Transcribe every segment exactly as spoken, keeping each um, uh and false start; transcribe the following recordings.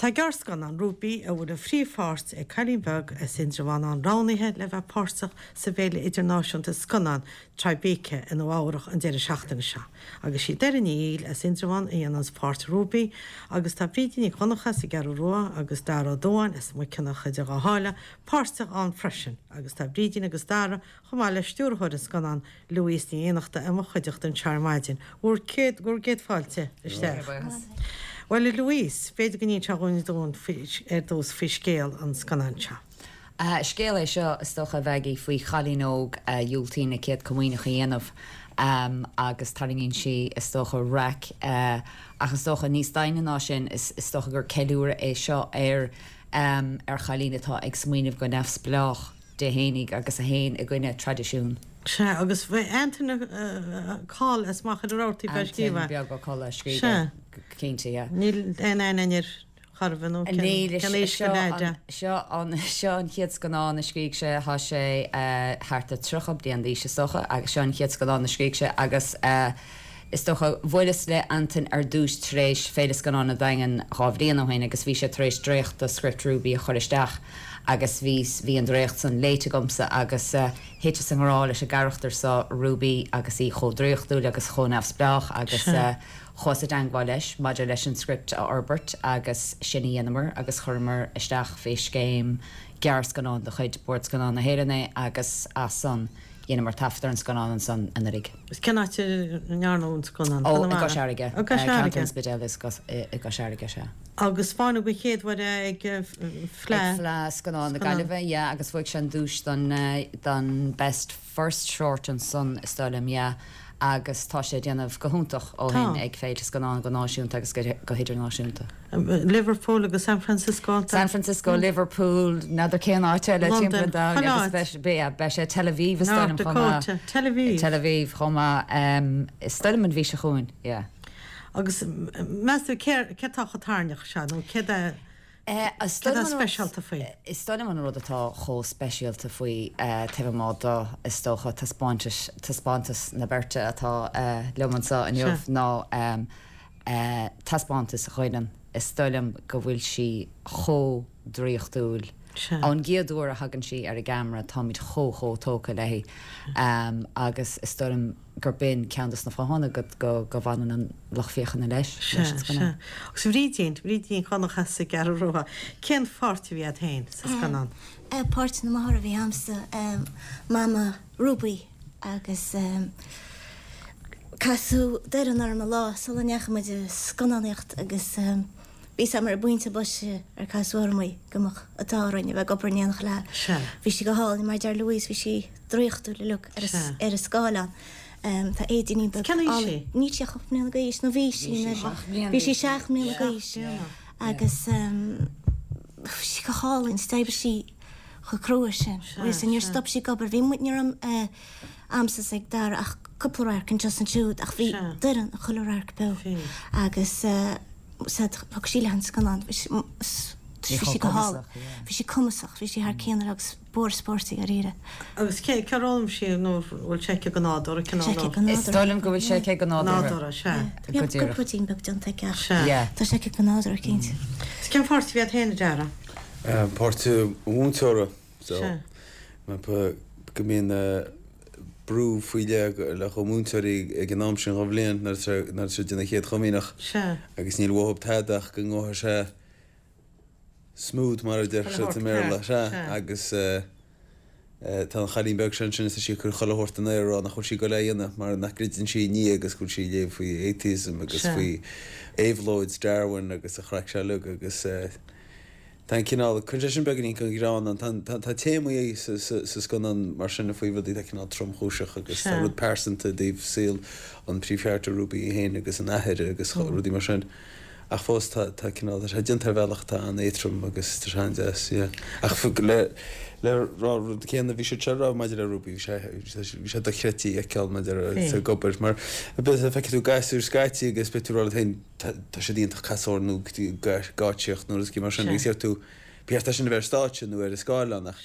Tá gearrscannán Rúbaí a bhfuil an phríomhpháirt ag cailín beag as Indreabhán roghnaithe le bheith páirteach sa bhFéile Idirnáisiúnta Scannán Tribeca i Nua Eabhrac an deireadh seachtaine seo. Agus sí Doireann Ní Fhoighil as Indreabhán a dhéananns páirt Rúbaí agus tá Brídín Nic Dhonncha as an gCeathrú Rua agus Dara Ó Dubháin as Maigh Cionnacha idir Dhá Sháile páirteach ann freisin agus tá Brídín agus Dara chomh maith le stiúrthóir an scannáin Louise Ní Fhiannachta i mo chuideachta anseo ar maidin. Bhur gcéad bhur gcéad fáilte isteach. Bhuel a Louise, b'fhéidir go n-inseofá dúinn ar dtús faoi scéal an scannáin seo. Scéal é seo is dócha a Mhaggie faoi chailín óg a dhiúltaíonn a céad comaoineach a dhéanamh agus tarraingíonn sí is dócha raic ach is dócha níos doimhne ná sin is is dócha gur ceiliúradh é seo ar ar chailín atá ag smaoineamh go neamhspleách di fhéinig agus a théann i gcoinne traidisiún. Sea, agus bhí Antain Coll as Machaire Rabhartaigh fá Antain scríobh. beag Ó Colla a scríobh Sea. cinnte, yeah. Níl aon aithne air chor ar bith nó Níl cén aois seo go leid an, seo an, seo an chéad scannán a scrígh sé, tá sé thart ar tríocha bliain d'aois is dócha agus seo an chéad scannán a scrígh sé agus is dócha bhuaileas le Antain ar dtús tar éis Féile Scannán an Daingin dhá bhliain ó shin agus bhí sé tar éis dréacht de script Ruby a chur isteach agus bhí bhí an dréacht san léite agamsa agus thiteas i ngrá leis an gcarachtar seo Ruby agus í chomh draíochtúil agus chomh neamhspleách agus chuas i dteangmháil leis maidir leis an script a fhorbairt agus sin a dhéanamar agus chuireamar isteach fé scéim gearrscannán de chuid Bord Scannán na hÉireann é agus as san dhéanamar taifead ar an scannán ansan anuraidh. Is cén áit a ndearnadh an scannán? Ó, i gCois Fharraige. I gCois Ceantar Fharraige. an Spidéil is i gCois Fharraige, sea. Agus taispeánadh den chéad uair é ag Fleadh. Ag Fleadh Scannán na Gaillimhe, yeah, agus bhuaigh sé an duais don don Best First Short ansan is dóigh liom, yeah, agus tá sé ag déanamh go hiontach ó shin ag féilte scannán go náisiúnta agus go hidirnáisiúnta. Liverpool agus San Francisco. San Francisco, Liverpool, n'fheadar cén áit eile timpeall an domhain agus beidh beidh sé Tel Aviv is dóigh liom chomh maith. Tel Aviv. Tel Aviv chomh maith, is dóigh liom an mhí seo chugainn, yeah. Agus meas tú céard atá chomh tairneach seo nó céard é céard atá speisialta faoi? Is dóigh liom an rud atá chomh speisialta faoi taobh amuigh de is dócha taispeántas taispeántas na beirte atá liom anseo inniu ná taispeántas Dhoireann. Is dóigh liom go bhfuil sí chomh draíochtúil. Ón gcéad uair a thagann sí ar an gceamara táimid chomh chomh tógtha léi agus is dóigh liom gur b'in ceann de na fáthanna go go go bhfanann an lucht féachana leis, leis Sea, an sea. scannán. Agus Bhrídín, Brídín Nic Dhonncha as an gCeathrú Rua, cén pháirt a bhí agat féin sa scannán? Páirt na máthar a bhí a'msa, Mama Ruby agus casadh Doireann orm an lá sula ndeachaigh muid ag scannánaíocht agus bhí 's a'm ar an bpointe boise ar casadh orm í go mbeadh an t-ádh orainn a bheith ag obair in éineacht léi. Sea. Bhí sí go hálainn, mar a deir Louise, bhí sí draíochtúil uilig ar Sea. ar an scáileán. Tá Éidíní beag Cén aois í? Níl sí ach ocht mbliana d'aois, nó bhí sí Bhí sí seacht mbliana bhí sí d'aois. seacht mbliana d'aois agus bhí sí go hálainn, d'oibrigh sí chomh crua sin. Agus níor stop sí ag obair, bhí muid, ní raibh a'msa is ag Dara ach cúpla radharc anseo is ansiúd ach bhí Doireann i chuile radharc beo agus said thug sí léi an scannán, bhí sí go hálainn, bhí sí cumasach, bhí sí thar cionn agus b'fhuar spóirt í dháiríre. Agus cé cé ar fhoghlaim sí nó bhfuil sé aici go nádúrtha, cineál Sé aici nó? go Is nádúrtha. dóigh liom go bhfuil sé aici go nádúrtha. Nádúrtha, sea. Go Bhí díreach. cúpla ruidín beag déanta aici ach Sea. Yeah. tá sé aici go nádúrtha cinnte. Is cén pháirt a bhí agat féin, a Dara? Páirt an mhúinteora. So, Sea. go mbíonn brú faoi leith le chomh múinteoirí ag an am sin den bhliain nuair atá siad ag déanamh a chéad chomaoineach Sea. agus níl uathu tada ach go ngabhfaidh sé smooth mar a deir siad i mBéarla, sea, agus tá an chailín beag sin ansin is tá sí ag cur chuile shórt in aer ag rá nach bhfuil sí ag goil é a dhéanamh mar nach gcreideann sí i nDia agus go bhfuil sí ag léamh faoi atheism agus faoi éabhlóid Darwin agus an chraic seo uilig agus Tá an cineál, cuireann sé sin beagáinín den ghreann ann. Tá, tá téamaí sa, sa, sa scannán mar sin faoi rudaí atá cineál tromchúiseach agus tá rud pearsanta i dtaobh saol an príomhcharachtar Ruby í féin agus an athair agus rudaí mar sin. Ach fós tá, tá cineál, tá sé déanta ar bhealach atá an-éadrom agus tá sé an-deas, yeah. Ach le, le rá an rud céanna a bhí siad seo a rá maidir le Ruby, bhí sé, bhí sé dochreidte í a fheiceáil maidir le ag obair mar feicfidh tú gasúir scaití agus beidh tú ag rá leat féin, tá siad iontach casadh nó geáitsíocht nó rudaí mar sin agus deir tú, ba cheart é sin a bheith ar stáitse nó ar an scáileán ach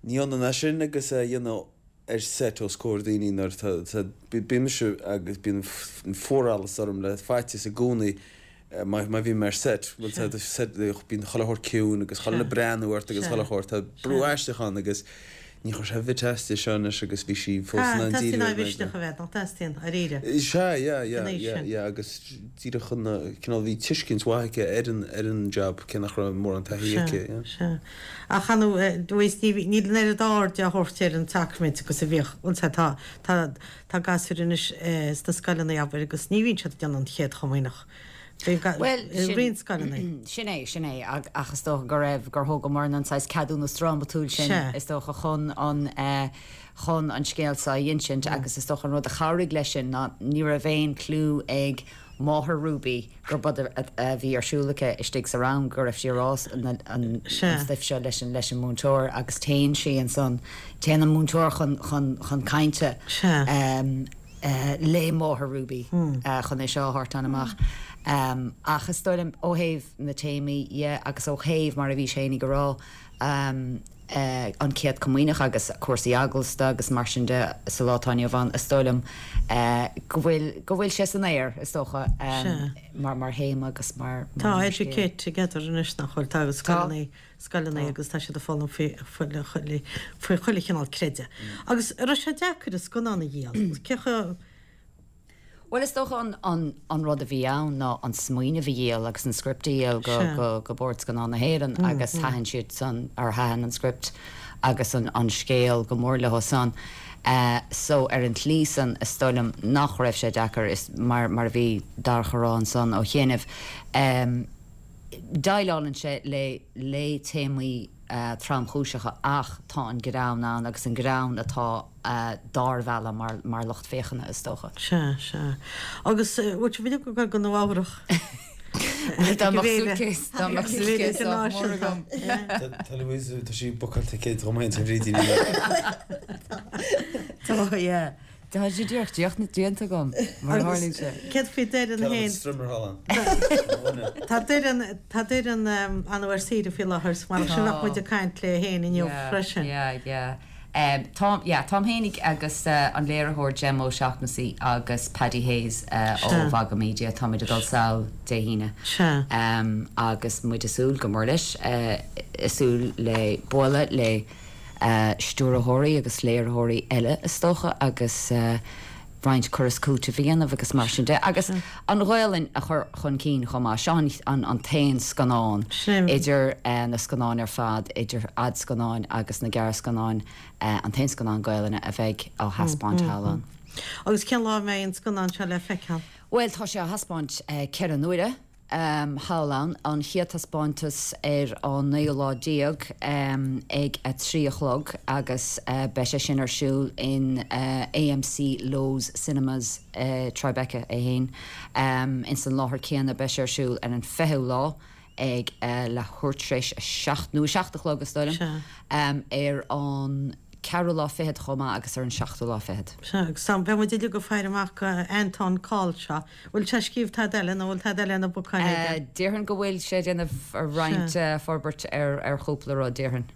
ní ionann é sin agus é a dhéanamh ar set os comhair daoine nuair atá, bíonn mise agus bíonn fuarallas orm le faitíos i gcónaí má má bhí mar set, bhuel tá set bíonn chuile shórt ciúin agus chuile Sea. breathnú ort agus Sea. chuile shórt tá brú aisteach ann agus ní chuir sé bit aisti seo anois agus bhí sí fós in ann Teastaíonn díriú á ar an mhisneach a bheith, nach dteastaíonn, dáiríre. Sea, yeah, yeah, San aois yeah, sin. yeah, agus díreach chun cineál bhí tuiscint mhaith aici ar an ar an job cé nach raibh mórán taithí aici, yeah. Sea. Ach anu dúis ní níl an oiread aird á thabhairt ar an tsacraimint agus a bhíodh bhuel sea, tá tá tá gasúir anois eh, sna scoileanna abair agus ní bhíonn siad ag déanamh an chéad chomaoineach. Bhí ga- Well, i sin- roinnt scoileanna. Sin é, sin é, ag- ach is dócha go raibh gur thógamar an saghas ceadúnas drámatúil sin Sea. is dócha chun an eh, chun an scéal seo a insint agus is dócha an rud a chabhraigh leis sin ná ní raibh aon clue ag máthair Ruby gur bud a a bhí ar siúl aici istigh sa rang go raibh sí ag rá an an Sea. an stuif seo leis an leis an múinteoir agus téann sí ansan téann an múinteoir chun chun chun cainte Sea. um, uh, le máthair Ruby hmm. uh, chun é seo a thabhairt amach. Um, ach is dóigh liom ó thaobh na téamaí dhe agus ó thaobh mar a bhí sé go rá um, uh, an chéad chomaoineach agus cúrsaí eaglasta agus mar sin de sa lá atá inniu ann is dóigh liom uh, go bhfuil go bhfuil sé san aer is dócha um, Sea. mar mar théama agus mar Tá mar scéal. Educate Together anois nach bhfuil tá agus scoileanna scoileanna agus tá siad ag foghlaim faoi faoi chuile faoi chuile chineál creideamh. Agus raibh sé deacair an scannán a dhíol. Cé chomh Well is dócha an, an, an rud a bhí ann ná an smaoineamh a dhíol agus an script a dhíol go, Sea. go, go Bord Scannán na hÉireann mm, agus thaitin siad san ar thaitin an script agus an, an scéal go mór leo san. Uh, so ar an tslí san is dóigh liom nach raibh sé deacair is mar, mar a bhí Darach ag rá ansan ó chianaibh. Um, Déileálann sé le le téamaí uh, tromchúiseacha ach tá an greann ann agus an greann atá uh, dár mhealladh mar, mar lucht féachana is dócha. Sea, sea. Agus bhfuil sibh go go go Nua-Eabhrac. Dá mbeadh suitcase dá mbeadh suitcase sách mór agam. Tá Louise tá sí bookáilte céad romain sa bhrídín. Tá yeah. Tá sé díreach díoch na déanta agam mar tharlaíonn sé. Céard faoi Doireann féin Strummerhallen. Tá Doireann tá Doireann an ar saoire faoi láthair mar sin bheadh muid ag caint léi féin inniu freisin. Yeah, yeah. Um, Tom, yeah, Tom Hénig agus uh, an léiritheoir Gem O'Shaughnessy agus Paddy Hayes uh, ó Sea. Vaga Media táimid ag dul sall Dé hAoine. Sea. Um, agus muid ag súil go mór leis uh, ag súil le bualadh le uh, stiúrthóirí agus léiritheoirí eile is dócha agus uh, roinnt cur is cúiteamh a dhéanamh agus mar sin de. Agus an Ghaelainn a chur chun cinn chomh maith seo an, an t-aon scannán Sin. idir uh, na scannáin ar fad idir fhadscannáin agus na gearrscannáin uh, an t-aon scannán Gaelainne a bheidh á thaispeáint thall ann. Agus cén lá mé an scannán seo le feiceáil. Well tá sé á thaispeáint uh, ceithre huaire um, thall ann an chéad taispeántas ar an naoú lá déag um, ag a trí a chlog agus uh, beidh sé sin ar siúl in uh, AMC Loews Cinemas uh, Tribeca é féin. Um, in san láthair céanna beidh sé ar siúl ar an fichiú lá ag uh, leathuair tar éis a seacht nó a seacht a chlog is dóigh liom, Sea. um, ar an ceathrú lá fichead chomh maith agus ar an seachtú lá fichead. Sea, agus sam beidh muid uilig ag faire amach Anton Call seo. Bhfuil sé scríobh tada eile nó bhfuil tada eile na bocáin Uh, Déarfainn go bhfuil sé déanamh ar roinnt uh, forbairt ar ar chúpla rud déarfainn.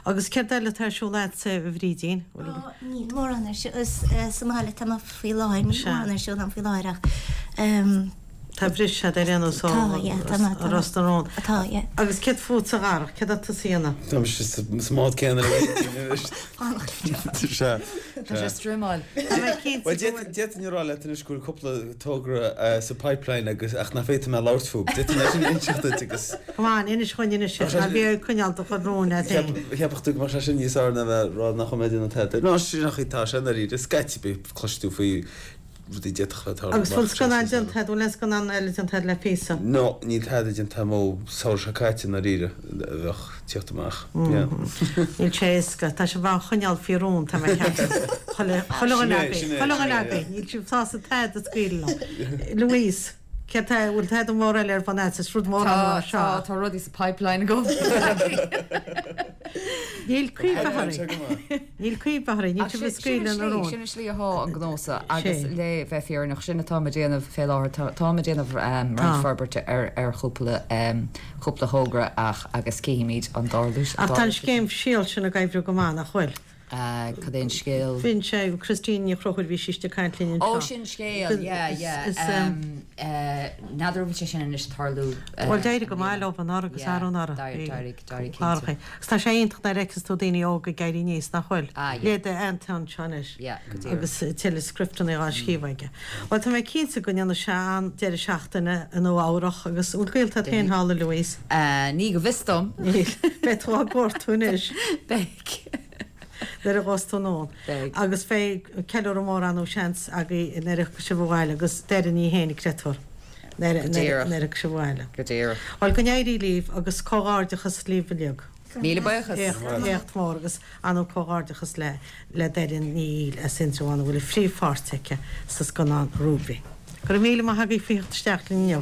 Agus céard eile atá ar siúl agatsa a Bhrídín. Ó, Níl mórán ar siúl sa mbaile tá faoi láthair, níl Sea. mórán ar siúl an faoi láthair ach um, Tá briseadh ar aon nós Tá, yeah, tá má- tá má. Ros na Rún. atá, yeah. Agus céard fútsa a Dharach, céard atá tú a dhéanamh. Tá sa mbád céanna Sea. Tá sé streamáil. Well d'fhéadfainn a rá leat anois go bhfuil cúpla togra eh, sa pipeline agus ach nach féidir mé labhairt fúthu. D'fhéadfainn é sin a inseacht duit agus Come on, inis dúinn anois Tá sé- ná bí ag coinneáil do chuid rún leat féin. Cheapfadh tú go mbeadh sé sin níos fearr ná bheith rá nach mbeidh an tada. Ná sin nach tá sé ar scaití cloistear tú faoi rudaí d'fhéadfadh bheith Agus bhfuil scannán déanta, bhfuil aon scannán eile déanta le píosa. No, níl tada déanta ó samhradh seo caite dáiríre a bheadh teacht amach. Yeah. Níl sé éasca, tá sé bá choinneáil faoi rún tá mé ceaptha. Chuile Sin é, sin é, chuile sin é, leabaí, níl sibh sásta tada a scaoileadh liom. Louise, céard tá bhfuil tada mór eile ar bun agat, is rud mór Tá an lá seo. tá rudaí sa pipeline agam. Níl cuimhne Pipeline seo orthu. go maith. Níl cuimhne orthu, níl sibh ag scaoileadh na rún. Sin slí atá an gnósa agus Sé. le bheith fírinneach sin atá mé ag déanamh fé láthair tá mé ag déanamh um, Tá. roinnt forbairt ar ar chúpla um, cúpla thogra ach agus cífimid an dtarlú. Ach tá an scéim síl sin ag oibriú go maith nach bhfuil. Cad é an scéal? Bhí sé Christine Ní Chonchúir bhí sí ag caint linn Ó sin scéal, yeah, yeah. N'fheadar bhfuil sé sin anois tarlú. Bhuel d'éirigh go maith leo anuraidh agus arú-anuraidh. D'éirigh, d'éirigh cinnte. Agus tá sé iontach nuair a fheiceas tú daoine óga ag éirí aníos, nach bhfuil? Ah, yeah. Leithéid Anton seo anois. Yeah, go díreach. Agus tuilleadh scripteanna á scríobh aige. Bhuel tá mé cinnte go ndéanfaidh sé an-deireadh seachtaine i Nua Eabhrach agus bhfuil gaolta agat féin thall, a Louise? Ní go bhfios dom. Níl. Beidh tú á gcuartú anois. Beidh. Nuair a ghabhfas tú anonn. Beidh. Agus beidh ceiliúradh mór ann nó seans agaibh nuair a thiocfaidh sibh abhaile agus Doireann í féin, creidtear, nuair Go díreach. nuair a thiocfaidh sibh abhaile. Go díreach. Bhuel, go n-éirí libh agus comhghairdeachas libh uilig. Míle buíochas. Éacht, éacht mór agus an-chomhghairdeachas le le Doireann Ní Fhoighil as Indreabhán a bhfuil an phríomhpháirt aici sa scannán Ruby. Go raibh míle maith agaibh faoi theacht isteach linn inniu.